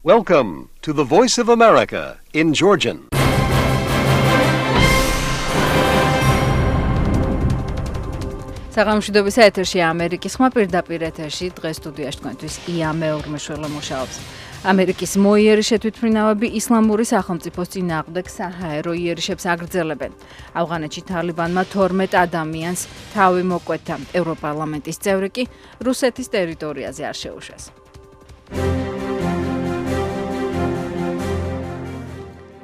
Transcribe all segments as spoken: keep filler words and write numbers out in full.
Welcome to the Voice of America in Georgian. საღამოშვიდობის ეთერში ამერიკის ხმა პირდაპირ ეთერში დღეს სტუდიაში თქვენთვის ია მეურმეშველა მუშაობს. ამერიკის მოიერი შეთვითმფრინავები ისლამური სახელმწიფოს წინააღმდეგ საჰაერო იერიშებს აგრძელებენ. ავღანეთში თალიბანმა თორმეტ ადამიანს თავი მოკვეთა. ევროპარლამენტის წევრი კი რუსეთის ტერიტორიაზე არ შეუშვეს.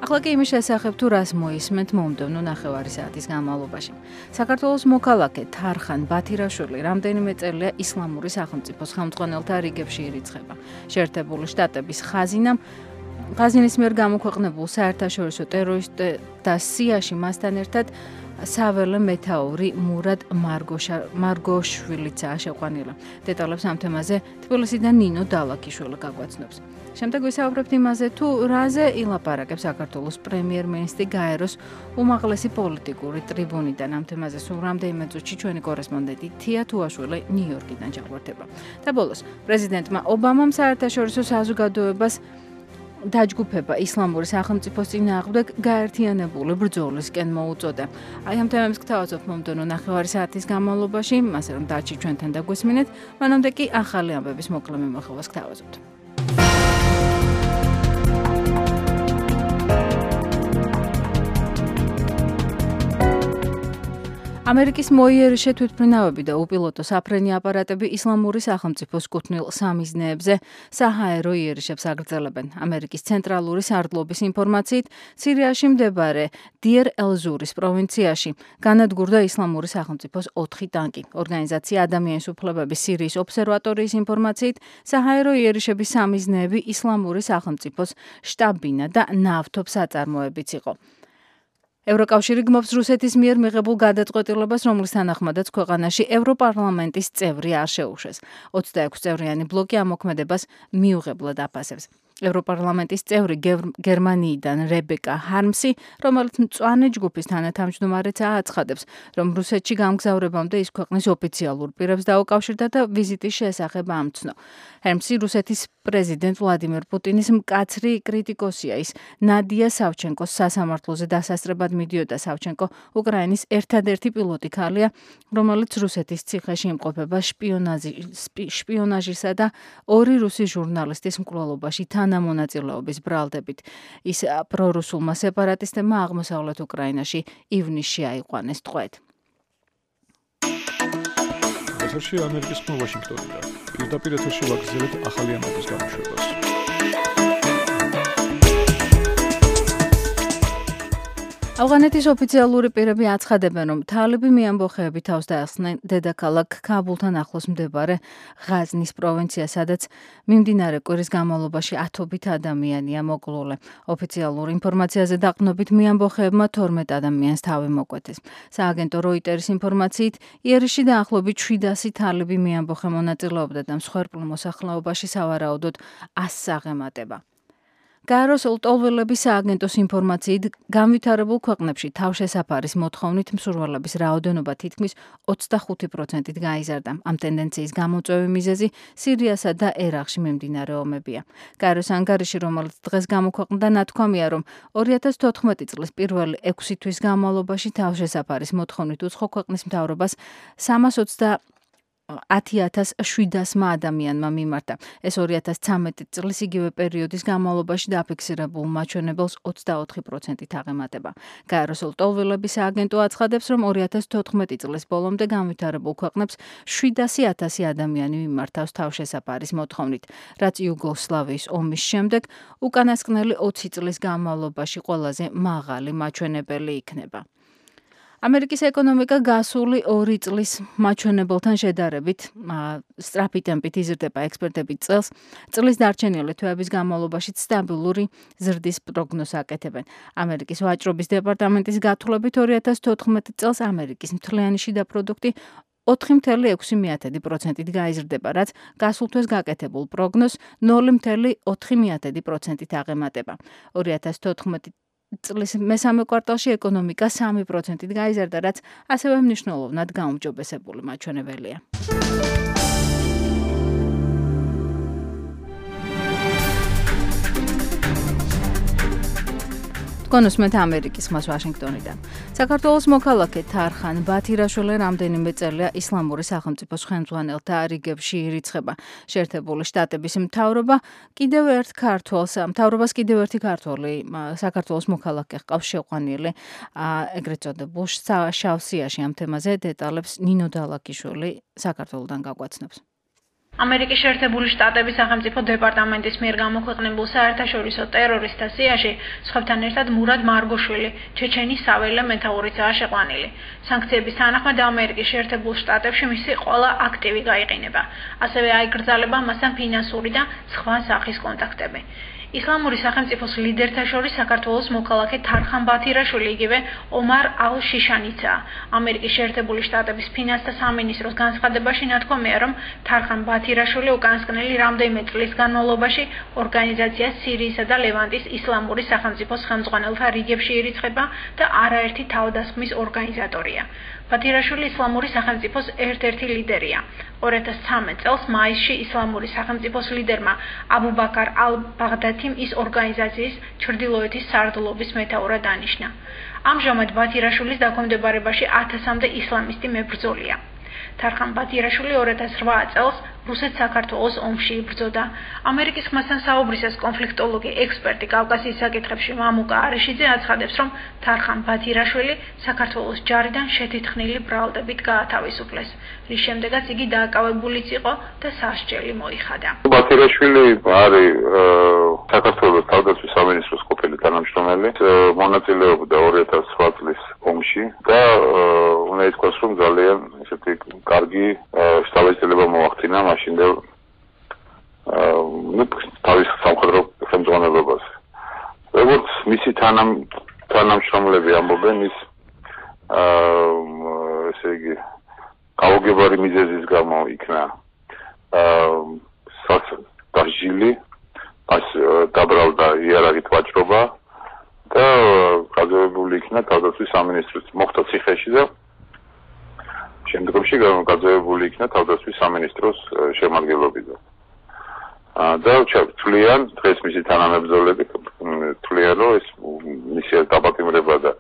ახლა კი იმის შესახებ თუ რას მოისმენთ მომდევნო ნახევარი საათის განმავლობაში. საქართველოს მოქალაქე თარხან ბათირაშვილი რამდენიმე წელია ისლამური სახელმწიფოს ხელმძღვანელთა რიგებში ირიცხება. შეერთებული შტატების ხაზინამ ხაზინის მიერ გამოქვეყნებულ საერთაშორისო ტერორისტთა სიაში მასთან ერთად საველე მეთაური მურად მარგოშვილიცაა შეყვანილი. დეტალებს ამ თემაზე თბილისიდან ნინო დალაკიშვილი გაგვაცნობს. შემდეგ ვისაუბრებთ იმაზე, თუ რაზე ილაპარაკებს საქართველოს პრემიერ-მინისტრი გაეროს უმაღლესი პოლიტიკური ტრიბუნიდან. ამ თემაზე სულ რამდენიმე წუთში ჩვენი კორესპონდენტი თია თუაშვილი ნიუ-იორკიდან ჩაგვერთება. და ბოლოს პრეზიდენტმა ობამამ საერთაშორისო საზოგადოებას დაჯგუფება ისლამური სახელმწიფოს წინააღმდეგ გაერთიანებული ბრძოლისკენ მოუწოდა. აი ამ თემებს გთავაზობ მომდევნო ნახევარი საათის განმავლობაში, ასე რომ დარჩი ჩვენთან და გვესმინეთ, მანამდე კი ახალი ამბების მოკლე მიმოხილვას გთავაზობთ. ამერიკის მოიერი შეთვითმფრინავები და უპილოტო საფრენი აპარატები ისლამური სახელმწიფოს კუთვნილ სამიზნეებზე საჰაერო იერიშებს აგრძელებენ. ამერიკის ცენტრალური სარდლობის ინფორმაციით, სირიაში მდებარე დიერ-ელ-ზურის პროვინციაში განადგურდა ისლამური სახელმწიფოს ოთხი ტანკი. ორგანიზაცია ადამიანის უფლებების სირიის ობსერვატორიის ინფორმაციით, საჰაერო იერიშების სამიზნეები ისლამური სახელმწიფოს შტაბ-ბინა და ნავთობსაწარმოებიც იყო. ევროკავშირი გმობს რუსეთის მიერ მიღებულ გადაწყვეტილებას, რომლის თანახმადაც ქვეყანაში ევროპარლამენტის წევრი არ შეუშვეს. ოცდაექვსი წევრიანი ბლოკი ამ მოქმედებას მიუღებლად აფასებს. ევროპარლამენტის წევრი გერმანიიდან რებეკა ჰარმსი, რომელიც მწვანე ჯგუფის თანათავმჯდომარეცაა, აცხადებს, რომ რუსეთში გამგზავრებამდე ის ქვეყნის ოფიციალურ პირებს დაუკავშირდა და ვიზიტის შესახებ ამცნო. ჰარმსი რუსეთის პრეზიდენტ ვლადიმერ პუტინის მკაცრი კრიტიკოსია. ის ნადია სავჩენკოს სასამართლოზე დასასწრებად მიდიოდა. სავჩენკო უკრაინის ერთადერთი პილოტი ქალია, რომელიც რუსეთის ციხეში იმყოფება შპიონაჟისა და ორი რუსი ჟურნალისტის მკვლელობაში თანამონაწილეობის ბრალდებით. ის პრორუსულმა სეპარატისტებმა აღმოსავლეთ უკრაინაში ივნისში აიყვანეს ტყვედ. ეთერში ამერიკის ხმა ვაშინგტონიდან. პირდაპირ ეთერში ვაგრძელებთ ახალი ამბების გამოშვებას. ავღანეთის ოფიციალური პირები აცხადებენ, რომ თალიბი მიამბოხეები თავს დაეხსნენ დედაქალაქ ქაბულთან ახლოს მდებარე ღაზნის პროვინცია, სადაც მიმდინარე კვირის განმავლობაში ათობით ადამიანია მოკლული. ოფიციალურ ინფორმაციაზე დაყრდნობით მიამბოხეებმა თორმეტ ადამიანს თავი მოკვეთეს. სააგენტო როიტერის ინფორმაციით, იერიში დაახლოებით შვიდასი თალიბი მიამბოხე მონაწილეობდა და მსხვერპლ მოსახლეობაში სავარაუდოდ ასს აღემატება. გაეროს ლტოლვილების სააგენტოს ინფორმაციით, განვითარებულ ქვეყნებში თავშესაფარის მოთხოვნით მსურველების რაოდენობა თითქმის ოცდახუთი პროცენტით გაიზარდა. ამ ტენდენციის გამოწვევი მიზეზი სირიასა და ერაყში მიმდინარე ომებია. გაეროს ანგარიში, რომელიც დღეს გამოქვეყნდა, ნათქვამია, რომ ორი ათას თოთხმეტი წლის პირველი ექვსი თვის განმავლობაში თავშესაფარის მოთხოვნით უცხო ქვეყნის მთავრობას სამას ოცდაათი ათას შვიდასმა ადამიანმა მიმართა. ეს ორი ათას ცხრამეტი წლის იგივე პერიოდის განმავლობაში დაფიქსირებულ მაჩვენებელს ოცდაოთხი პროცენტით აღემატება. გაეროს ლტოლვილების სააგენტო აცხადებს, რომ ორი ათას თოთხმეტი წლის ბოლომდე განვითარებულ ქვეყნებს შვიდასი ათასი ადამიანი მიმართავს თავშესაფარის მოთხოვნით, რაც იუგოსლავიის ომის შემდეგ უკანასკნელი ოცი წლის განმავლობაში ყველაზე მაღალი მაჩვენებელი იქნება. ამერიკის ეკონომიკა გასული ორი წლის მაჩვენებელთან შედარებით სწრაფი ტემპით იზრდება. ექსპერტები წელს წლის დარჩენილი თვეების განმავლობაში სტაბილური ზრდის პროგნოზს აკეთებენ. ამერიკის ვაჭრობის დეპარტამენტის გათვლებით ორი ათას თოთხმეტი წელს ამერიკის მთლიანი შიდა პროდუქტი ოთხი წამლ ექვსი პროცენტით გაიზრდება, რაც გასულ თვეს გაკეთებულ პროგნოზს ნული წამლ ოთხი პროცენტით აღემატება. ორი ათას თოთხმეტი წლის მესამე კვარტალში ეკონომიკა სამი პროცენტით გაიზარდა, რაც ასევე მნიშვნელოვნად გაუმჯობესებული მაჩვენებელია. გონუსმეთ ამერიკის ხმას ვაშინგტონიდან. საქართველოს მოქალაქე თარხან ბათირაშვილი რამდენიმე წელია ისლამური სახელმწიფოს ხელმძღვანელთა რიგებში ირიცხება. შეერთებული შტატების მთავრობა კიდევ ერთ ქართველს, მთავრობას კიდევ ერთი ქართველი საქართველოს მოქალაქე ჰყავს შეყვანილი, ეგრეთ წოდებულ შავსიაში. ამ თემაზე დეტალებს ნინო დალაკიშვილი საქართველოდან გაგვაცნობს. ამერიკის შეერთებული შტატების სახელმწიფო დეპარტამენტის მიერ გამოქვეყნებულ საერთაშორისო ტერორისტთა სიაში სხვებთან ერთად მურად მარგოშვილი, ჩეჩენის საველე მეთაურიცაა შეყვანილი. სანქციების თანახმად ამერიკის შეერთებულ შტატებში მისი ყველა აქტივი გაიყინება. ასევე აიკრძალება მასთან ფინანსური და სხვა სახის კონტაქტები. ისლამური სახელმწიფოს ლიდერთა შორის საქართველოს მოქალაქე თარხან ბათირაშვილი იგივე ომარ ალ-შიშანიცაა. ამერიკის შეერთებული შტატების ფინანსთა სამინისტროს განცხადებაში ნათქვამია, რომ თარხან ბათირაშვილი უკანასკნელი რამდენიმე წლის განმავლობაში ორგანიზაცია სირიისა და ლევანტის ისლამური სახელმწიფოს ხელმძღვანელთა რიგებში ირიცხება და არაერთი თავდასხმის ორგანიზატორია. ბათირაშვილი ისლამური სახელმწიფოს ერთ-ერთი ლიდერია. ორი ათას ცხრამეტ წელს მაისში ისლამური სახელმწიფოს ლიდერმა აბუ ბაქარ ალ-ბაღდათიმ ის ორგანიზაციის ჩრდილოეთის სარდლობის მეთაურად დანიშნა. ამჟამად ბათირაშვილის დაქვემდებარებაში ათასამდე ისლამისტი მებრძოლია. თარხან ბათირაშვილი ორი ათას რვა წელს რუსეთ-საქართველოს ომში იბრძოდა. ამერიკის ხმასთან საუბრისას კონფლიქტოლოგი ექსპერტი კავკასიის საკითხებში მამუკა არიშიძე აცხადებს, რომ თარხან ბათირაშვილი საქართველოს ჯარიდან შეთითხნილი ბრალდებით გაათავისუფლეს, რის შემდეგაც იგი დააკავებულიც იყო და სასჯელი მოიხადა. ბათირაშვილი არის საქართველოს თავდაცვის სამინისტროს ყოფილი თანამშრომელი, მონაწილეობდა ორი ათას რვა წლის ომში და უნდა ითქვას, რომ ძალიან ესეთი კარგი შთაბეჭდილება მოახდინა მაშინდელ თავის სამხედრო ხელმძღვანელობას. როგორც მისი თანამშრომლები ამბობენ, ის ესე იგი გაუგებარი მიზეზის გამო იქნა დასჯილი, მას დაბრალდა იარაღით ვაჭრობა და გაძევებული იქნა თავდაცვის სამინისტროს მოხდა ციხეში და შემდგომში გაძევებული იქნა თავდაცვის სამინისტროს შემადგენლობიდან. და თვლიან, დღეს მისი თანამებრძოლები თვლიან, რომ ეს მისი დაპატიმრება და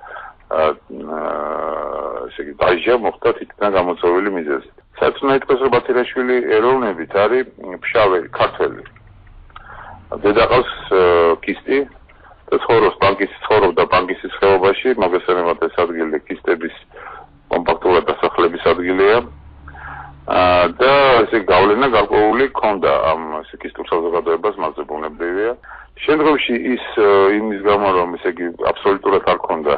ესე იგი დაჟია მოხდა თითქმის გამოწვეული მიზეზით. საერთოდ ითქვას, რომ ბათირაშვილი ეროვნებით არის ფშავი ქართველი. დედაყავს კისტი და ცხოვრობს ბანკის ცხოვრობდა ბანკის ხეობაში, მოგესალმებით ეს ადგილი კისტების კომპაქტურად დასახლების ადგილია და ესე გავლენა გარკვეული ჰქონდა ამ ესე კისტურ საზოგადოებას მასზე ბუნებრივია. შემდგომში ის იმის გამო რომ ესე იგი აბსოლუტურად არ ჰქონდა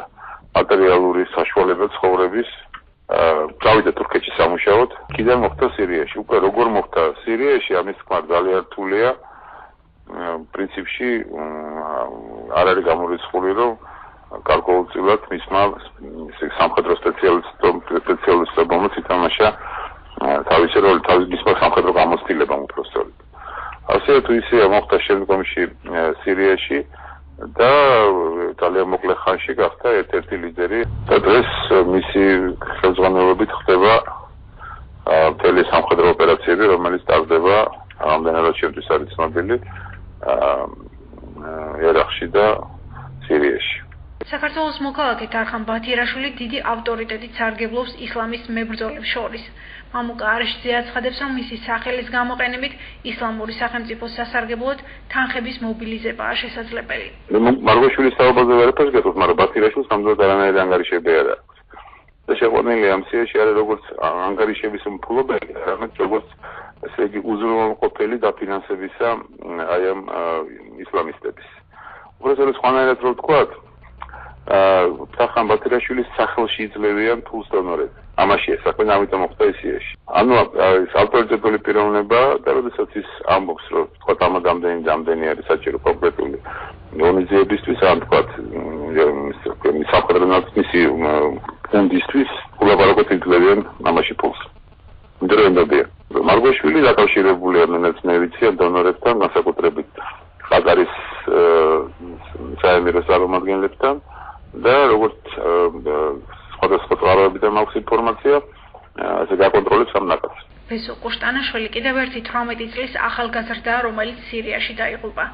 მატერიალური საშუალება ცხოვრების, წავიდა თურქეთში სამუშაოდ, კიდევ მოხდა სირიაში. უკვე როგორ მოხდა სირიაში, ამის თქმა ძალიან რთულია. პრინციპში არ არის გამორიცხული, რომ გარკვეულწილად მისმა სამხედრო სპეციალისტებმა ითამაშა თავისი როლი, თავის მისმა სამხედრო გამოცდილებამ უпростоრად. ასე თუ ისე მოხდა შემდგომში სირიაში და ძალიან მოკლე ხანში გახდა ერთ-ერთი ლიდერი და დღეს მისი ხელმძღვანელობით ხდება მთელი სამხედრო ოპერაციები, რომელიც ტარდება რამდენადაც შემთხვევით არის ცნობილი ერაყში და სირიაში. საქართველოს მოქალაქე თარხან ბათირაშვილი დიდი ავტორიტეტით სარგებლობს ისლამის მებრძოლებს შორის. მამუკა არიშიძე აცხადებს, რომ მისი სახელის გამოყენებით ისლამური სახელმწიფოს სასარგებლოდ თანხების მობილიზებაა შესაძლებელი. მარგოშვილის საუბარზე ვერაფერს გეტყვით, მაგრამ ბათირაშვილს ნამდვილად არანაირი ანგარიშები არ აქვს. და შეყვანილი ამ სიაში არის როგორც ანგარიშების მფლობელი, არამედ როგორც ესე იგი უზრუნველყოფელი დაფინანსებისა აი ამ ისლამისტების. უბრალოდ სხვანაირად რო ვთქვათ, თარხან ბათირაშვილის სახელში იძლევიან ფულს დონორები. ამაშია საქმე, ამიტომ მოხდა სირიაში. ანუ ეს ავტორიტეტული პიროვნება და როდესაც ის ამბობს, რომ თქვა ამ ამდენი ამდენი არის საჭირო კონკრეტული ორგანიზაციებისთვის, ან თქვა სამხედრო ნაცმისი ფონდისთვის, ულაპარაკოთ იძლევიან ამაში ფულს. მდროინდობია. მარგოშვილი დაკავშირებულია მეცნიერებთან, დონორებთან, განსაკუთრებით ყატარის საემირო წარმომადგენლებთან და როგორც სხვადასხვა წყაროებიდან მაქვს ინფორმაცია, ასე გაკონტროლებს ამ ნაკადს. ბესო ყუშტანაშვილი კიდევ ერთი თვრამეტი წლის ახალგაზრდაა, რომელიც სირიაში დაიღუპა.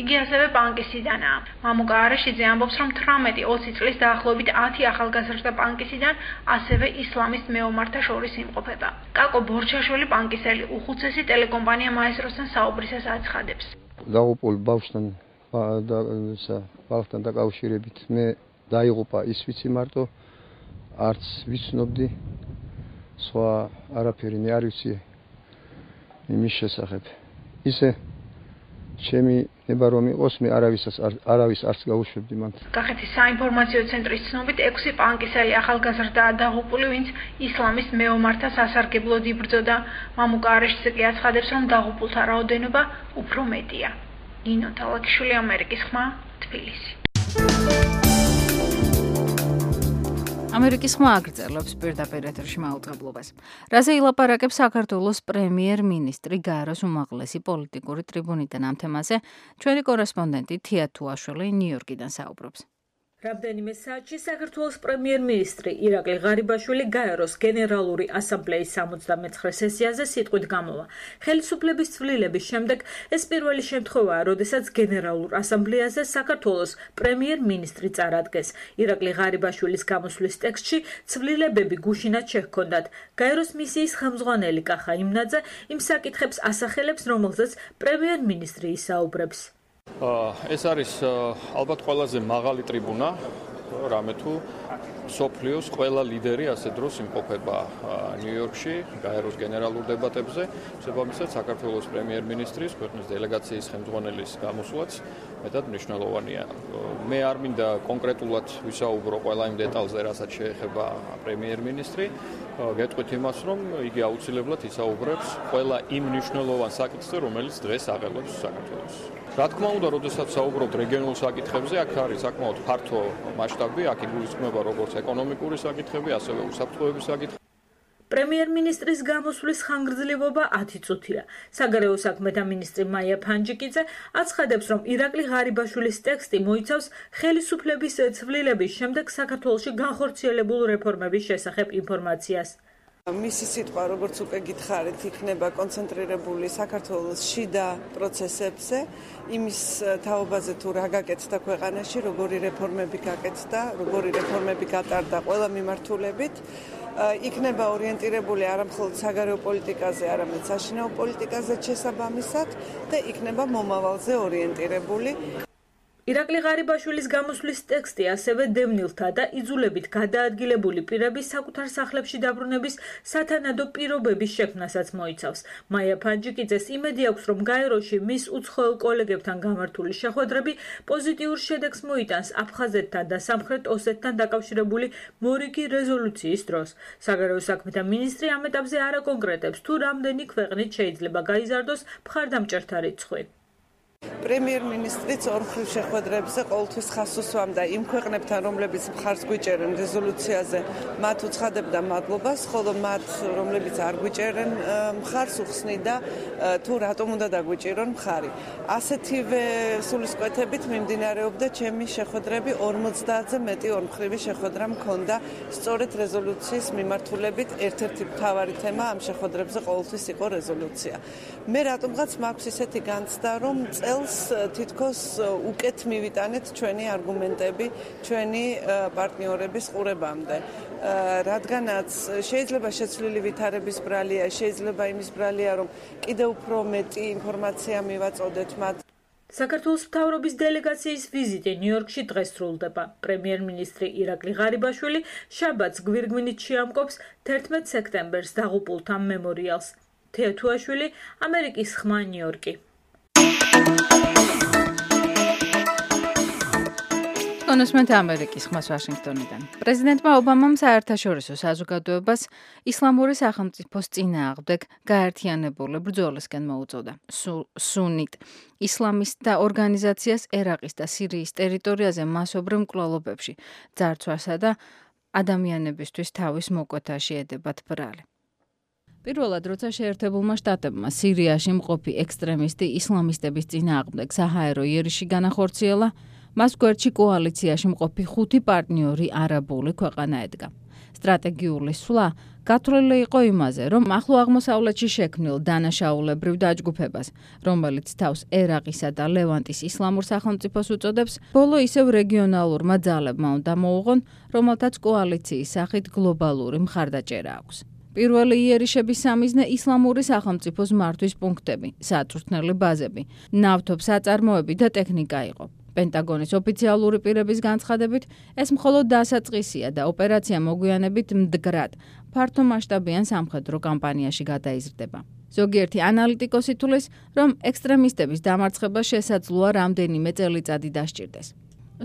იგი ასევე პანკისიდანაა. მამუკა არეშიძე ამბობს, რომ თვრამეტი ოცი წლის დაახლოებით ათი ახალგაზრდა პანკისიდან ასევე ისლამის მეომართა შორის იმყოფება. კაკო ბორჩაშვილი პანკისელი უხუცესი ტელეკომპანია მაესტროსთან საუბრისას აცხადებს. დაღუპულ ბავშვთან ბავშვთან დაკავშირებით მე დაიღუპა ის ვიცი მარტო არც ვიცნობდი სხვა არაფერი მე არ ვიცი იმის შესახებ. ისე ჩემი ნება რომ იყოს მე არავისას არავის არც გაუშვებდი მან. კახეთის საინფორმაციო ცენტრის ცნობით ექვსი პანკისელი ახალგაზრდაა დაღუპული, ვინც ისლამის მეომართა სასარგებლოდ იბრძოდა. მამუკა არეშიძე კი აცხადებს, რომ დაღუპულთა რაოდენობა უფრო მეტია. ნინო თალაკიშვილი, ამერიკის ხმა, თბილისი. ამერიკის ხმა აგრძელებს პირდაპირ ეთერში მაუწყებლობას. რაზე ილაპარაკებს საქართველოს პრემიერ-მინისტრი გაეროს უმაღლესი პოლიტიკური ტრიბუნიდან ამ თემაზე ჩვენი კორესპონდენტი თია თუაშვილი ნიუ-იორკიდან საუბრობს. რამდენიმე საათში საქართველოს პრემიერ-მინისტრი ირაკლი ღარიბაშვილი გაეროს გენერალური ასამბლეის სამოცდამეცხრე სესიაზე სიტყვით გამოვა. ხელისუფლების ცვლილების შემდეგ ეს პირველი შემთხვევაა, როდესაც გენერალურ ასამბლეაზე საქართველოს პრემიერ-მინისტრი წარადგეს. ირაკლი ღარიბაშვილის გამოსვლის ტექსტში ცვლილებები გუშინად შეჰქონდათ. გაეროს მისიის ხელმძღვანელი კახა იმნაძე იმ საკითხებს ასახელებს, რომელზეც პრემიერ-მინისტრი ისაუბრებს. ეს არის ალბათ ყველაზე მაღალი ტრიბუნა, რამე თუ სოფლიოს ყველა ლიდერი ასე დროს იმყოფება ნიუ-იორკში გაეროს გენერალურ დებატებზე, შესაბამისად საქართველოს პრემიერ-მინისტრის ქვეყნის დელეგაციის ხელმძღვანელის გამოსვლაც მეტად მნიშვნელოვანია. მე არ მინდა კონკრეტულად ვისაუბრო ყველა იმ დეტალზე, რასაც შეეხება პრემიერ-მინისტრი, გეტყვით იმას, რომ იგი აუცილებლად ისაუბრებს ყველა იმ მნიშვნელოვან საკითხზე, რომელიც დღეს აღელვებს საქართველოს. რა თქმა უნდა, როდესაც საუბრობთ რეგიონულ საკითხებზე, აქ არის საკმაოდ ფართო მასშტაბი, აქ იგულისხმება როგორც ეკონომიკური საკითხები, ასევე უსაფრთხოების საკითხები. პრემიერ-მინისტრის გამოსვლის ხანგრძლივობა ათი წუთია. საგარეო საქმეთა მინისტრი მაია ფანჯიკიძე აცხადებს, რომ ირაკლი ღარიბაშვილის ტექსტი მოიცავს ხელისუფლების ცვლილების შემდეგ საქართველოში განხორციელებულ რეფორმების შესახებ ინფორმაციას. მისი სიტყვა, როგორც უკვე გითხარით, იქნება კონცენტრირებული საქართველოს შიდა პროცესებზე, იმის თაობაზე თუ რა გაკეთდა ქვეყანაში, როგორი რეფორმები გაკეთდა, როგორი რეფორმები გატარდა ყველა მიმართულებით. იქნება ორიენტირებული არა მხოლოდ საგარეო პოლიტიკაზე, არამედ საშინაო პოლიტიკაზე შესაბამისად და იქნება მომავალზე ორიენტირებული. ირაკლი ღარიბაშვილის გამოსვლის ტექსტი ასევე დევნილთა და იძულებით გადაადგილებული პირების საკუთარ სახლებში დაბრუნების სათანადო პირობების შექმნასაც მოიცავს. მაია ფანჯიკიძეს იმედი აქვს, რომ გაეროში მის უცხოელ კოლეგებთან გამართული შეხვედრები პოზიტიურ შედეგს მოიტანს აფხაზეთთან და სამხრეთ ოსეთთან დაკავშირებული მორიგი რეზოლუციის დროს. საგარეო საქმეთა მინისტრი ამ ეტაპზე არ აკონკრეტებს, თუ რამდენი ქვეყნით შეიძლება გაიზარდოს მხარდამჭერთა რიცხვი. პრემიერ-მინისტრიც ორმხრივ შეხვედრებზე ყოველთვის ხაზს უსვამდა იმ ქვეყნებთან, რომლებიც მხარს გვიჭერენ რეზოლუციაზე, მათ უცხადებდა მადლობას, ხოლო მათ, რომლებიც არ გვიჭერენ მხარს, უხსნიდა თუ რატომ უნდა დაგვიჭირონ მხარი. ასეთივე სულისკვეთებით მიმდინარეობდა ჩემი შეხვედრები, ორმოცდაათზე მეტი ორმხრივი შეხვედრა მქონდა სწორედ რეზოლუციის მიმართულებით. ერთ-ერთი მთავარი თემა ამ შეხვედრებზე ყოველთვის იყო რეზოლუცია. მე რატომღაც მაქვს ისეთი განცდა, რომ წელს თითქოს უკეთ მივიტანეთ ჩვენი არგუმენტები ჩვენი პარტნიორების ყურებამდე. რადგანაც შეიძლება შეცვლილი ვითარების ბრალია, შეიძლება იმის ბრალია, რომ კიდევ უფრო მეტი ინფორმაცია მივაწოდეთ მათ. საქართველოს მთავრობის დელეგაციის ვიზიტი ნიუ-იორკში დღეს სრულდება. პრემიერ-მინისტრი ირაკლი ღარიბაშვილი შაბათს გვირგვინით შეამკობს თერთმეტ სექტემბერს დაღუპულთა მემორიალს. თია თუაშვილი, ამერიკის ხმა, ნიუ-იორკი. კონსმენტ ამერიკის ხმას ვაშინგტონიდან. პრეზიდენტმა ობამამ საერთაშორისო საზოგადოებას ისლამური სახელმწიფოს წინააღმდეგ გაერთიანებული ბრძოლისკენ მოუწოდა. სუნიტ ისლამისტთა ორგანიზაციას ერაყის და სირიის ტერიტორიაზე მასობრივ მკვლელობებში ძარცვასა და ადამიანებისთვის თავის მოკვეთაში ედებათ ბრალი. პირველად, როცა შეერთებულმა შტატებმა სირიაში მყოფი ექსტრემისტი ისლამისტების წინააღმდეგ საჰაერო იერიში განახორციელა, მას გვერდში კოალიციაში მყოფი ხუთი პარტნიორი არაბული ქვეყანა ედგა. სტრატეგიული სვლა გათვლილი იყო იმაზე, რომ ახლო აღმოსავლეთში შექმნილ დანაშაულებრივ დაჯგუფებას, რომელიც თავს ერაყისა და ლევანტის ისლამურ სახელმწიფოს უწოდებს, ბოლო ისევ რეგიონალურმა ძალებმა უნდა მოუღონ, რომელთაც კოალიციის სახით გლობალური მხარდაჭერა აქვს. პირველი იერიშების სამიზნე ისლამური სახელმწიფოს მართვის პუნქტები, საწვრთნელი ბაზები, ნავთობის საწარმოები და ტექნიკა იყო. პენტაგონის ოფიციალური პირების განცხადებით, ეს მხოლოდ დასაწყისია და ოპერაცია მოგვიანებით მდგრად, ფართომასშტაბიან სამხედრო კამპანიაში გადაიზრდება. ზოგიერთი ანალიტიკოსი თვლის, რომ ექსტრემისტების დამარცხება შესაძლოა რამდენიმე წელიწადი დასჭირდეს.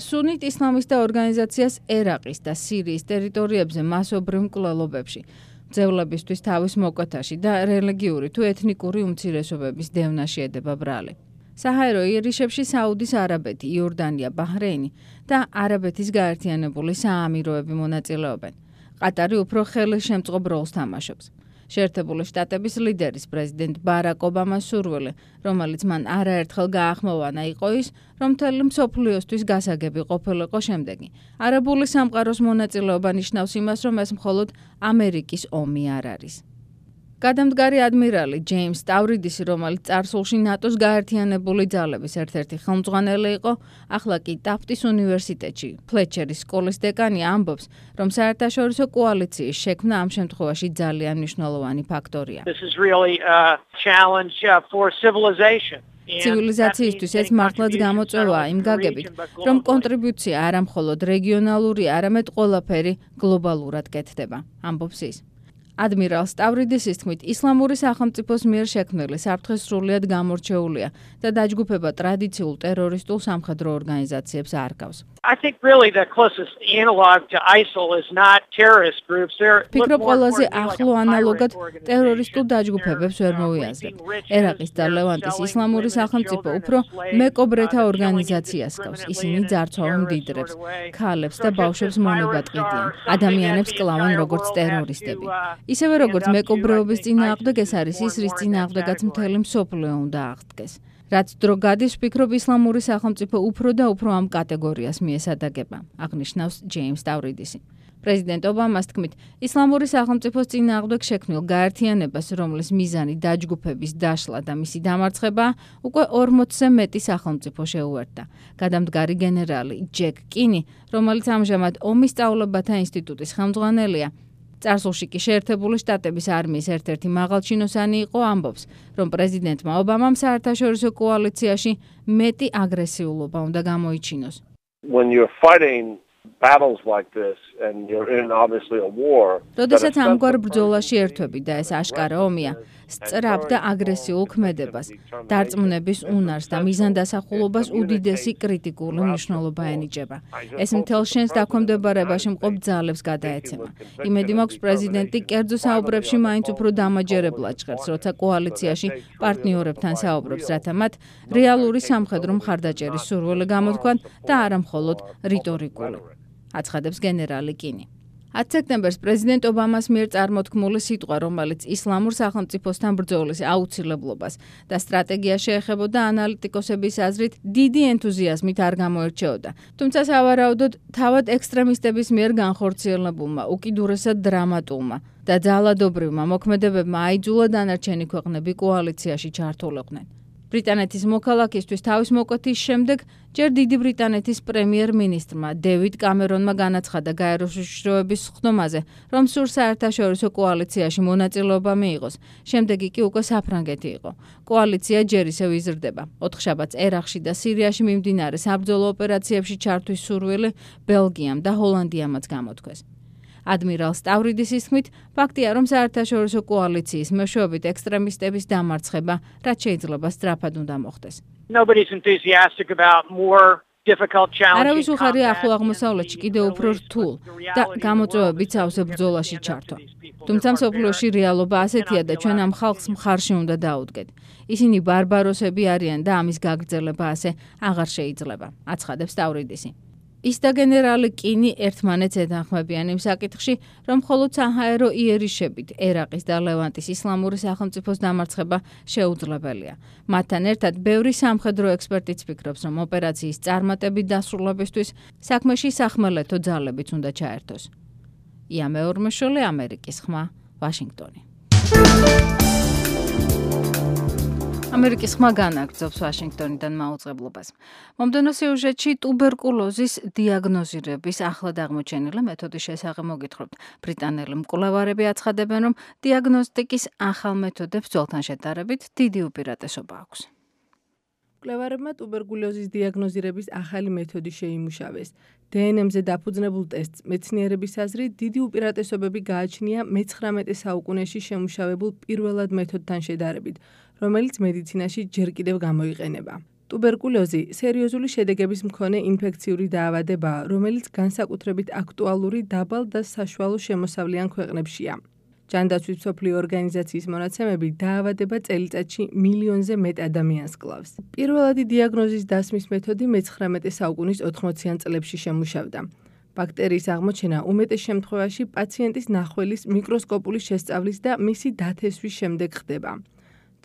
სუნით ისლამისტთა ორგანიზაციას ერაყის და სირიის ტერიტორიებზე მასობრივ მკვლელობებში, მძევლებისთვის თავის მოკვეთაში და რელიგიური თუ ეთნიკური უმცირესობების დევნაში ედება ბრალი. საჰაერო იერიშებში საუდის არაბეთი, იორდანია, ბაჰრეინი და არაბეთის გაერთიანებული საამიროები მონაწილეობენ. ყატარი უფრო ხელშემწყობ როლს თამაშობს. შეერთებული შტატების ლიდერის პრეზიდენტ ბარაკ ობამას სურვილი, რომელიც მან არაერთხელ გაახმოვანა, იყო ის, რომ მთელი მსოფლიოსთვის გასაგები ყოფილიყო შემდეგი. არაბული სამყაროს მონაწილეობა ნიშნავს იმას, რომ ეს მხოლოდ ამერიკის ომი არ არის. გადამდგარი ადმირალი ჯეიმს სტავრიდისი, რომელიც წარსულში ნატოს გაერთიანებული ძალების ერთ-ერთი ხელმძღვანელი იყო, ახლა კი ტაფტის უნივერსიტეტში ფლეჩერის სკოლის დეკანი ამბობს, რომ საერთაშორისო კოალიციის შექმნა ამ შემთხვევაში ძალიან მნიშვნელოვანი ფაქტორია. ცივილიზაციისთვის ეს მართლაც გამოწვევაა იმ გაგებით, რომ კონტრიბუცია არა მხოლოდ რეგიონალურია, არამედ ყველაფერი გლობალურად კეთდება, ამბობს ის. ადმირალ სტავრიდისის თქმით, ისლამური სახელმწიფოს მიერ შექმნილი საფრთხე სრულიად გამორჩეულია და დაჯგუფება ტრადიციულ ტერორისტულ სამხედრო ორგანიზაციებს არ გავს. ფიქრობ, ყველაზე ახლო ანალოგად ტერორისტულ დაჯგუფებებს ვერ მოვიაზრებთ. ერაყის და ლევანტის ისლამური სახელმწიფო უფრო მეკობრეთა ორგანიზაციას გავს. ისინი ძარცვავენ მდიდრებს, ქალებს და ბავშვებს მონებად ყიდიან. ადამიანებს კლავენ როგორც ტერორისტები. ისევე როგორც მეკობრეობის წინააღმდეგ, ეს არის ის, რის წინააღმდეგაც მთელი მსოფლიო უნდა აღდგეს. რაც დრო გადის, ვფიქრობ, ისლამური სახელმწიფო უფრო და უფრო ამ კატეგორიას მიესადაგება, აღნიშნავს ჯეიმს სტავრიდისი. პრეზიდენტ ობამას თქმით, ისლამური სახელმწიფოს წინააღმდეგ შექმნილ გაერთიანებას, რომლის მიზანი დაჯგუფების დაშლა და მისი დამარცხებაა, უკვე ორმოცზე მეტი სახელმწიფო შეუერთდა. გადამდგარი გენერალი ჯეკ კინი, რომელიც ამჟამად ომის სწავლებათა ინსტიტუტის ხელმძღვანელია, წარსულში კი შეერთებული შტატების არმიის ერთ-ერთი მაღალჩინოსანი იყო, ამბობს, რომ პრეზიდენტმა ობამამ საერთაშორისო კოალიციაში მეტი აგრესიულობა უნდა გამოიჩინოს. როდესაც ამგვარ ბრძოლაში ერთვები და ეს აშკარა ომია, სწრაფ და აგრესიულ ქმედებას, დარწმუნების უნარს და მიზანდასახულობას უდიდესი კრიტიკული მნიშვნელობა ენიჭება. ეს მთელ შენს დაქვემდებარებაში მყოფ ძალებს გადაეცემა. იმედი მაქვს, პრეზიდენტი კერძო საუბრებში მაინც უფრო დამაჯერებლად ჟღერს, როცა კოალიციაში პარტნიორებთან საუბრობს, რათა მათ რეალური სამხედრო მხარდაჭერის სურვილი გამოთქვან და არა მხოლოდ რიტორიკული. აცხადებს გენერალი კინი. ათი სექტემბერს პრეზიდენტ ობამას მიერ წარმოთქმული სიტყვა, რომელიც ისლამურ სახელმწიფოსთან ბრძოლის აუცილებლობას და სტრატეგიას შეეხებოდა, ანალიტიკოსების აზრით დიდი ენთუზიაზმით არ გამოირჩეოდა. თუმცა სავარაუდოდ თავად ექსტრემისტების მიერ განხორციელებულმა, უკიდურესად დრამატულმა და ძალადობრივმა მოქმედებებმა აიძულა დანარჩენი ქვეყნები კოალიციაში ჩართულიყვნენ. ბრიტანეთის მოქალაქისთვის თავის მოკვეთის შემდეგ ჯერ დიდი ბრიტანეთის პრემიერ-მინისტრმა დევიდ კამერონმა განაცხადა გაეროს უშიშროების ხდომაზე, რომ სურს საერთაშორისო კოალიციაში მონაწილეობა მიიღოს. შემდეგი კი უკვე საფრანგეთი იყო. კოალიცია ჯერ ისევ იზრდება. ოთხშაბათს ერაყში და სირიაში მიმდინარე საბრძოლო ოპერაციებში ჩართვის სურვილი ბელგიამ და ჰოლანდიამაც გამოთქვეს. ადმირალ სტავრიდისის თქმით, ფაქტია, რომ საერთაშორისო კოალიციის მეშვეობით ექსტრემისტების დამარცხება, რაც შეიძლება სწრაფად უნდა მოხდეს. არავის უხარია ახლო აღმოსავლეთში კიდევ უფრო რთულ და გამოწვევებით სავსე ბრძოლაში ჩართვა. თუმცა მსოფლიოში რეალობა ასეთია და ჩვენ ამ ხალხს მხარში უნდა დაუდგეთ. ისინი ბარბაროსები არიან და ამის გაგრძელება ასე აღარ შეიძლება, აცხადებს სტავრიდისი. ის და გენერალი კინი ერთმანეთს ეთანხმებიან იმ საკითხში, რომ მხოლოდ საჰაერო იერიშებით ერაყის და ლევანტის ისლამური სახელმწიფოს დამარცხება შეუძლებელია. მათთან ერთად ბევრი სამხედრო ექსპერტიც ფიქრობს, რომ ოპერაციის წარმატებით დასრულებისთვის საქმეში სახმელეთო ძალებიც უნდა ჩაერთოს. ია მეორმოშოლე, ამერიკის ხმა, ვაშინგტონი. ამერიკის ხმა განაგრძობს ვაშინგტონიდან მაუწყებლობას. მომდევნო სიუჟეტში ტუბერკულოზის დიაგნოზირების ახლად აღმოჩენილი მეთოდის შესახებ მოგითხრობთ. ბრიტანელი მკვლევარები აცხადებენ, რომ დიაგნოსტიკის ახალ მეთოდებს ძველთან შედარებით დიდი უპირატესობა აქვს. მკვლევარებმა ტუბერკულოზის დიაგნოზირების ახალი მეთოდი შეიმუშავეს. დე ენ ემ-ზე დაფუძნებულ ტესტს მეცნიერების აზრით დიდი უპირატესობები გააჩნია მეცხრამეტე საუკუნეში შემუშავებულ პირველად მეთოდთან შედარებით, რომელიც მედიცინაში ჯერ კიდევ გამოიყენება. ტუბერკულოზი სერიოზული შედეგების მქონე ინფექციური დაავადებაა, რომელიც განსაკუთრებით აქტუალური დაბალ და საშუალო შემოსავლიან ქვეყნებშია. ჯანდაცვის მსოფლიო ორგანიზაციის მონაცემები დაავადება წელიწადში მილიონზე მეტ ადამიანს კლავს. პირველადი დიაგნოზის დასმის მეთოდი მეცხრამეტე საუკუნის ოთხმოციან წლებში შემუშავდა. ბაქტერიის აღმოჩენა უმეტეს შემთხვევაში პაციენტის ნახველის მიკროსკოპული შესწავლის და მისი დათესვის შემდეგ ხდება.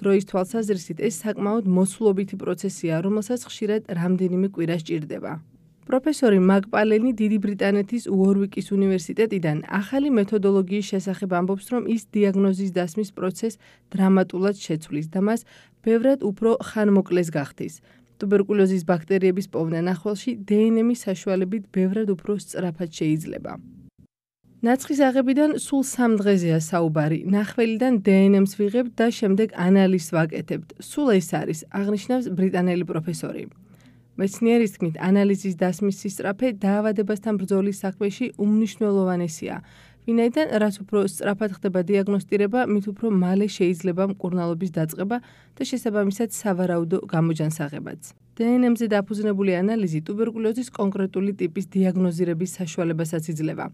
დროის თვალსაზრისით ეს საკმაოდ მოსულობითი პროცესია, რომელსაც ხშირად რამდენიმე კვირა სჭირდება. პროფესორი მაგ პალენი დიდი ბრიტანეთის უორვიკის უნივერსიტეტიდან ახალი მეთოდოლოგიის შესახებ ამბობს, რომ ის დიაგნოზის დასმის პროცესს დრამატულად შეცვლის და მას ბევრად უფრო ხანმოკლეს გახდის. ტუბერკულოზის ბაქტერიების პოვნა ნახველში დე ენ ემ-ის საშუალებით ბევრად უფრო სწრაფად შეიძლება. ნაცხის აღებიდან სულ სამ დღეზეა საუბარი. ნახველიდან დე ენ ემ-ს ვიღებთ და შემდეგ ანალიზს ვაკეთებთ. სულ ეს არის, აღნიშნავს ბრიტანელი პროფესორი. მეცნიერის თქმით, ანალიზის დასმის სისწრაფე დაავადებასთან ბრძოლის საქმეში უმნიშვნელოვანესია. ვინაიდან რაც უფრო სწრაფად ხდება დიაგნოსტირება, მით უფრო მალე შეიძლება მკურნალობის დაწყება და შესაბამისად სავარაუდო გამოჯანსაღებაც. დე ენ ემ-ზე დაფუძნებული ანალიზი ტუბერკულოზის კონკრეტული ტიპის დიაგნოზირების საშუალებასაც იძლევა.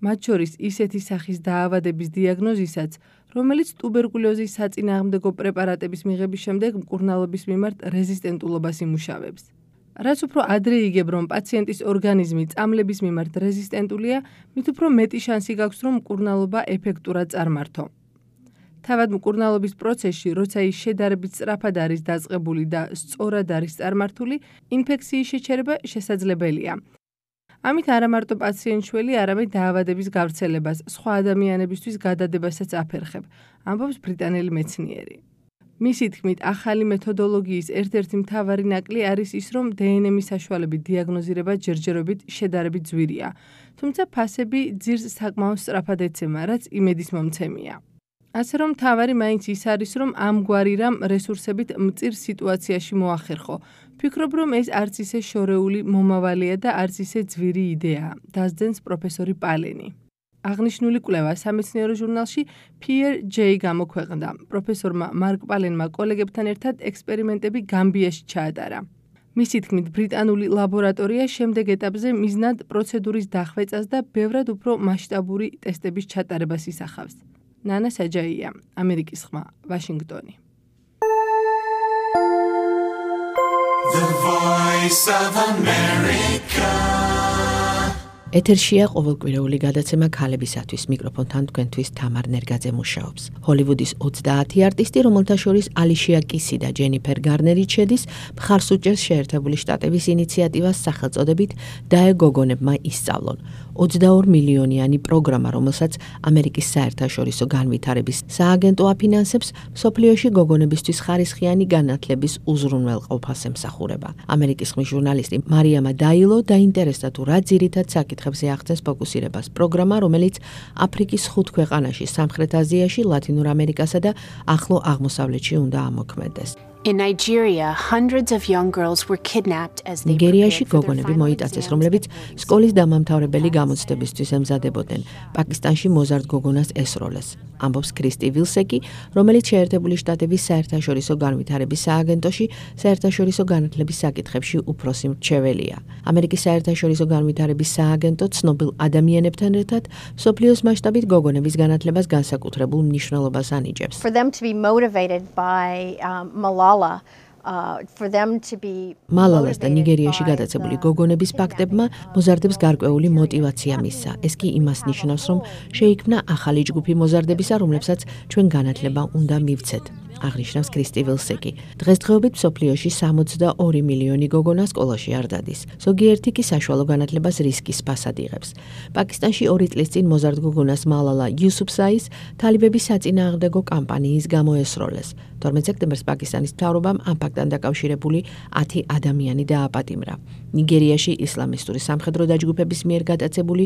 მათ შორის ისეთი სახის დაავადების დიაგნოზისაც, რომელიც ტუბერკულოზის საწინააღმდეგო პრეპარატების მიღების შემდეგ მკურნალობის მიმართ რეზისტენტულობას იმუშავებს. რაც უფრო ადრე იგებ, რომ პაციენტის ორგანიზმი წამლების მიმართ რეზისტენტულია, მით უფრო მეტი შანსი გაქვს, რომ მკურნალობა ეფექტურად წარმართო. თავად მკურნალობის პროცესში, როცა ის შედარებით სწრაფად არის დაწყებული და სწორად არის წარმართული, ინფექციის შეჩერება შესაძლებელია. ამით არა მარტო პაციენტს შველი, არამედ დაავადების გავრცელებას, სხვა ადამიანებისთვის გადადებასაც აფერხებ, ამბობს ბრიტანელი მეცნიერი. მისი თქმით, ახალი მეთოდოლოგიის ერთ-ერთი მთავარი ნაკლი არის ის, რომ დე ენ ემ-ის საშუალებით დიაგნოზირება ჯერჯერობით შედარებით ძვირია, თუმცა ფასები ძირს საკმაოდ სწრაფად ეცემა, რაც იმედის მომცემია. ასე რომ მთავარი მაინც ის არის, რომ ამგვარი რამ რესურსებით მწირ სიტუაციაში მოახერხო. ფიქრობ, რომ ეს არც ისე შორეული მომავალია და არც ისე ძვირი იდეაა, დასძენს პროფესორი პალენი. აღნიშნული კვლევა სამეცნიერო ჟურნალში Peer J გამოქვეყნდა. პროფესორმა მარკ პალენმა კოლეგებთან ერთად ექსპერიმენტები გამბიაში ჩაატარა. მისი თქმით, ბრიტანული ლაბორატორია შემდეგ ეტაპზე მიზნად პროცედურის დახვეწას და ბევრად უფრო მასშტაბური ტესტების ჩატარებას ისახავს. ნანა საჯაია, ამერიკის ხმა, ვაშინგტონი. The Voice of America. ეთერშია ყოველკვირეული გადაცემა ქალებისათვის. მიკროფონთან თქვენთვის თამარ ნერგაძე მუშაობს. ჰოლივუდის ოცდაათი არტისტი, რომელთა შორის ალიშია კისი და ჯენიფერ გარნერი შედის, მხარს უჭერს შეერთებული შტატების ინიციატივას სახელწოდებით „დაე გოგონებმა ისწავლონ“. ოცდაორი მილიონიანი პროგრამა, რომელსაც ამერიკის საერთაშორისო განვითარების სააგენტო აფინანსებს, მსოფლიოში გოგონებისთვის ხარისხიანი განათლების უზრუნველყოფას ემსახურება. ამერიკის ხმის ჟურნალისტი მარიამა დაილო დაინტერესდა თუ რა ძირითად საკითხებზე ახდენს ფოკუსირებას პროგრამა, რომელიც აფრიკის ხუთ ქვეყანაში, სამხრეთ აზიაში, ლათინურ ამერიკასა და ახლო აღმოსავლეთში უნდა ამოქმედდეს. In Nigeria, hundreds of young girls were kidnapped as they ნიგერიაში გოგონები მოიტაცეს, რომლებიც სკოლის დამამთავრებელი გამოცდებისთვის ემზადებოდნენ. პაკისტანში მოზარდ გოგონას ესროლეს. ამბობს კრისტი ვილსეკი, რომელიც შეერთებული შტატების საერთაშორისო განვითარების სააგენტოში საერთაშორისო განათლების საკითხებში უფროსი მრჩეველია. ამერიკის საერთაშორისო განვითარების სააგენტო ცნობილ ადამიანებთან ერთად მსოფლიოს მასშტაბით გოგონების განათლებას განსაკუთრებულ მნიშვნელობას ანიჭებს. For them to be motivated by um, Malala მალალას და ნიგერიაში გადაცებული გოგონების ფაქტებმა მოზარდებს გარკვეული мотиваცია მისცა. ეს კი იმას ნიშნავს, რომ შეიქმნა ახალი ჯგუფი მოზარდებისა, რომლებსაც ჩვენ განათლება უნდა მივცეთ. აღნიშნავს კრისტი ვილსეკი. დღესდღეობით მსოფლიოში სამოცდაორი მილიონი გოგონა სკოლაში არ დადის. ზოგიერთი კი საშუალო განათლებას რისკის ფასად იღებს. პაკისტანში ორი წლის წინ მოზარდ გოგონას მალალა იუსუფზაის თალიბების საწინააღმდეგო კამპანიის გამო ესროლეს. თორმეტ სექტემბერს პაკისტანის მთავრობამ ამ ფაქტთან დაკავშირებული ათი ადამიანი დააპატიმრა. ნიგერიაში ისლამისტური სამხედრო დაჯგუფების მიერ გადაცებული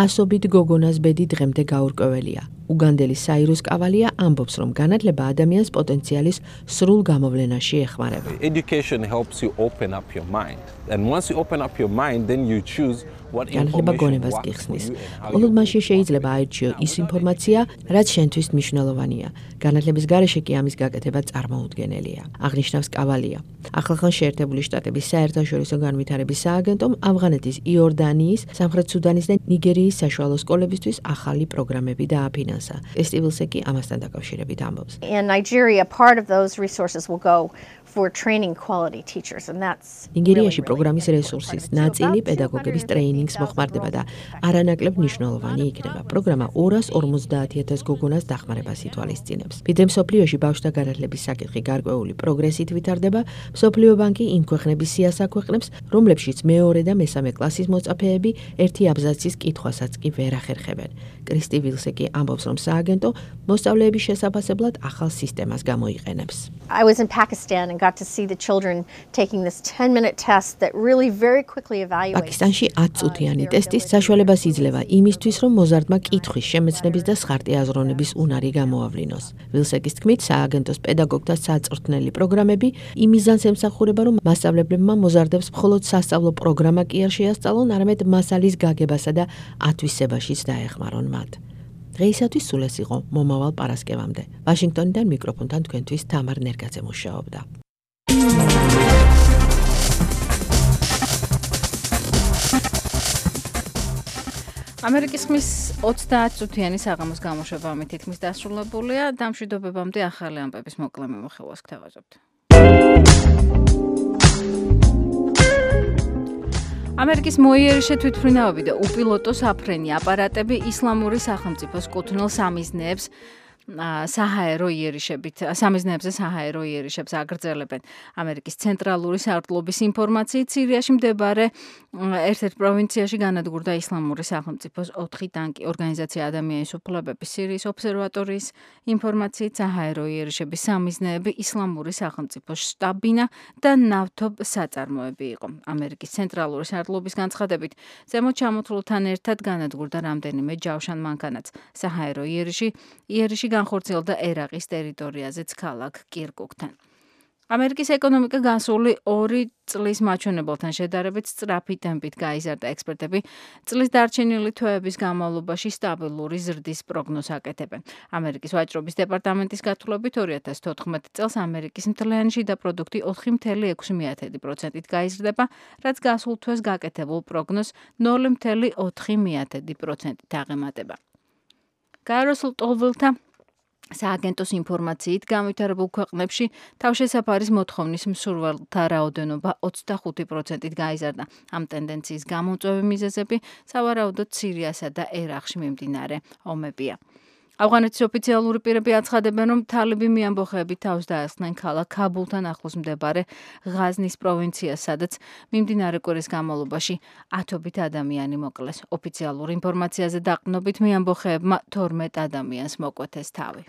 ასობით გოგონას ბედი დღემდე გაურკვეველია. უგანდელი საირუს კავალია ამბობს, რომ განათლება ადამიანს პოტენციალის სრულ გამოვლენაში ეხმარება. Education helps you open up your mind. And once you open up your mind, then you choose what განათლება გონებას გიხსნის. მხოლოდ მაშინ შეიძლება აირჩიო ის ინფორმაცია, რაც შენთვის მნიშვნელოვანია. განათლების გარეშე კი ამის გაკეთება წარმოუდგენელია. აღნიშნავს კავალია. ახლახან შეერთებული შტატების საერთაშორისო განვითარების სააგენტომ ავღანეთის, იორდანიის, სამხრეთ სუდანის და ნიგერიის საშუალო სკოლებისთვის ახალი პროგრამები დააფინანსა. კრისტი ვილსეკი ამასთან დაკავშირებით ამბობს. In Nigeria, part of those resources will go for training quality teachers and that's ნიგერიაში პროგრამის რესურსის ნაწილი პედაგოგების ტრეინინგს მოხმარდება და არანაკლებ მნიშვნელოვანი იქნება. პროგრამა ორას ორმოცდაათი ათას გოგონას დახმარებას ითვალისწინებს. ვიდრე მსოფლიოში ბავშვთა განათლების საკითხი გარკვეული პროგრესით ვითარდება, მსოფლიო ბანკი იმ ქვეყნების სიას აქვეყნებს, რომლებშიც მეორე და მესამე კლასის მოწაფეები ერთი აბზაცის კითხვასაც კი ვერ ახერხებენ. კრისტი ვილსეკი ამბობს, რომ სააგენტო მოსწავლეების შესაფასებლად ახალ სისტემას გამოიყენებს. I was in Pakistan and got to see the children taking this ten minute test that really very quickly evaluates. პაკისტანში ათი წუთიანი ტესტის საშუალებას იძლევა იმისთვის, რომ მოზარდმა კითხვის შემეცნების და სხარტი აზროვნების უნარი გამოავლინოს. ვილსეკის თქმით, სააგენტოს პედაგოგთა საწვრთნელი პროგრამები იმ მიზანს ემსახურება, რომ მასწავლებლებმა მოზარდებს მხოლოდ სასწავლო პროგრამა კი არ შეასწავლონ, არამედ მასალის გაგებასა და ათვისებაშიც დაეხმარონ მათ. დღეისათვის სულ ეს იყო მომავალ პარასკევამდე. ვაშინგტონიდან მიკროფონთან თქვენთვის თამარ ნერგაძე მუშაობდა. ამერიკის ხმის ოცდაათი წუთიანი საღამოს გამოშვება ამით თითქმის დასრულებულია. დამშვიდობებამდე ახალი ამბების მოკლე მიმოხილვას გთავაზობთ. ამერიკის მოიერიშე თვითმფრინავები და უპილოტო საფრენი აპარატები ისლამური სახელმწიფოს კუთვნილ სამიზნეებს საჰაერო იერიშებით, სამიზნეებზე საჰაერო იერიშებს აგრძელებენ. ამერიკის ცენტრალური სარდლობის ინფორმაციით, სირიაში მდებარე ერთ-ერთ პროვინციაში განადგურდა ისლამური სახელმწიფოს ოთხი ტანკი. ორგანიზაცია ადამიანის უფლებების სირიის ობსერვატორიის ინფორმაციით, საჰაერო იერიშების სამიზნეები ისლამური სახელმწიფოს შტაბ-ბინა და ნავთობ საწარმოები იყო. ამერიკის ცენტრალური სარდლობის განცხადებით, ზემოთ ჩამოთვლილთან ერთად განადგურდა რამდენიმე ჯავშან მანქანაც. საჰაერო იერიში იერიში განხორციელდა ერაყის ტერიტორიაზეც ქალაქ კირკუკთან. ამერიკის ეკონომიკა გასული ორი წლის მაჩვენებელთან შედარებით სწრაფი ტემპით გაიზარდა. ექსპერტები წლის დარჩენილი თვეების განმავლობაში სტაბილური ზრდის პროგნოზს აკეთებენ. ამერიკის ვაჭრობის დეპარტამენტის გათვლებით ორი ათას თოთხმეტ წელს ამერიკის მთლიანი შიდა პროდუქტი ოთხი წამლ ექვსი პროცენტით გაიზრდება, რაც გასულ თვეს გაკეთებულ პროგნოზს ნული წამლ ოთხი პროცენტით აღემატება. გაეროსულ ტოლვილთა სააგენტოს ინფორმაციით, განვითარებულ ქვეყნებში თავშესაფარის მოთხოვნის მსურველთა რაოდენობა ოცდახუთი პროცენტით გაიზარდა. ამ ტენდენციის გამომწვევი მიზეზები სავარაუდოდ სირიასა და ერაყში მიმდინარე ომებია. ავღანეთის ოფიციალური პირები აცხადებენ, რომ თალიბი მიამბოხეები თავს დაესხნენ ქალაქ ქაბულთან ახლოს მდებარე ღაზნის პროვინციას, სადაც მიმდინარე კვირის განმავლობაში ათობით ადამიანი მოკლეს. ოფიციალურ ინფორმაციაზე დაყრდნობით მიამბოხეებმა თორმეტ ადამიანს მოკვეთეს თავი.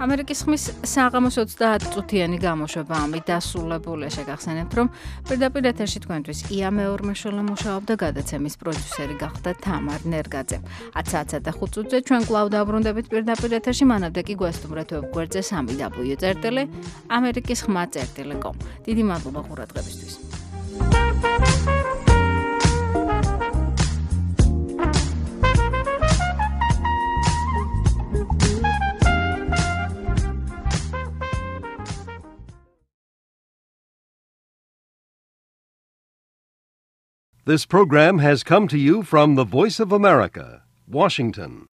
ამერიკის ხმის საღამოს ოცდაათი წუთიანი გამოშვება ამით დასრულებულია. შეგახსენებთ, რომ პირდაპირ ეთერში თქვენთვის ია მეორმაშოლა მუშაობდა, გადაცემის პროდიუსერი გახდა თამარ ნერგაძე. ათი საათსა და ხუთ წუთზე ჩვენ კვლავ დაბრუნდებით პირდაპირ ეთერში, მანამდე კი გვესტუმრეთ ვებგვერდზე სამი დაბლიუ წერტილი ამერიკის ხმა წერტილი კომ. დიდი მადლობა ყურადღებისთვის. This program has come to you from the Voice of America, Washington.